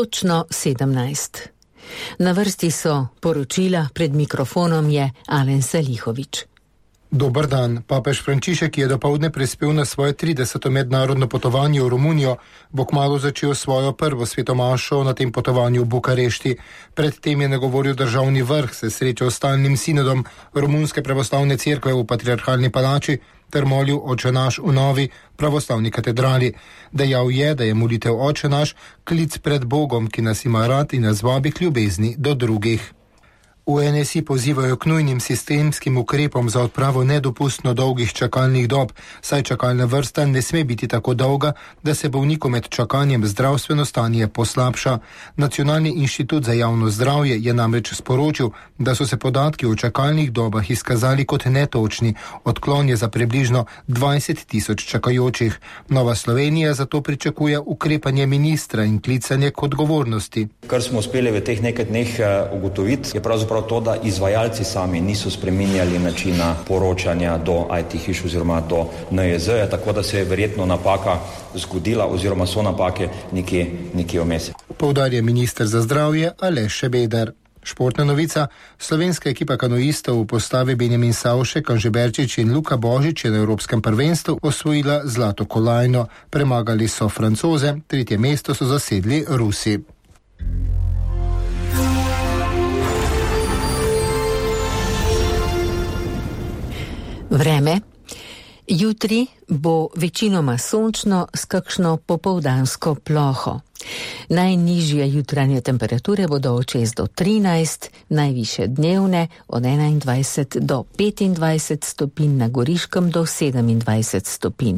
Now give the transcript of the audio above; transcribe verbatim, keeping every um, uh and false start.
Točno sedemnajst. Na vrsti so poročila, pred mikrofonom je Alen Salihovič. Dober dan. Papež Frančišek je dopoldne prispel na svoje trideseto mednarodno potovanje v Romunijo, bo kmalu začel svojo prvo svetomašo na tem potovanju v Bukarešti. Predtem je nagovoril državni vrh, se srečal s stalnim sinodom Romunske pravoslavne cerkve v Patriarhalni palači ter molil Oče naš v novi pravoslavni katedrali. Dejal je, da je molitev Oče naš klic pred Bogom, ki nas ima rad in nas vabi k ljubezni do drugih. V en es i pozivajo k nujnim sistemskim ukrepom za odpravo nedopustno dolgih čakalnih dob, saj čakalna vrsta ne sme biti tako dolga, da se bolnikom med čakanjem zdravstveno stanje poslabša. Nacionalni inštitut za javno zdravje je namreč sporočil, da so se podatki o čakalnih dobah izkazali kot netočni, odklon je za približno dvajset tisoč čakajočih. Nova Slovenija zato pričakuje ukrepanje ministra in klicanje k odgovornosti. Kar smo uspeli v teh nekaj dneh ugotoviti, je pravzaprav to, da izvajalci sami niso spreminjali načina poročanja do I T hiš oziroma do N I J Z-ja, tako da se je verjetno napaka zgodila oziroma so napake nekje, nekje vmes. Poudarja minister za zdravje Aleš Šebeder. Športna novica. Slovenska ekipa kanoistov v postavi Benjamin Savšek, Anže Berčič in Luka Božič je na Evropskem prvenstvu osvojila zlato kolajno. Premagali so Francoze, tretje mesto so zasedli Rusi. Vreme. Jutri bo večinoma sončno s kakšno popoldansko ploho. Najnižje jutranje temperature bodo od šest do trinajst, najvišje dnevne od enaindvajset do petindvajset stopinj, na Goriškem do sedemindvajset stopinj.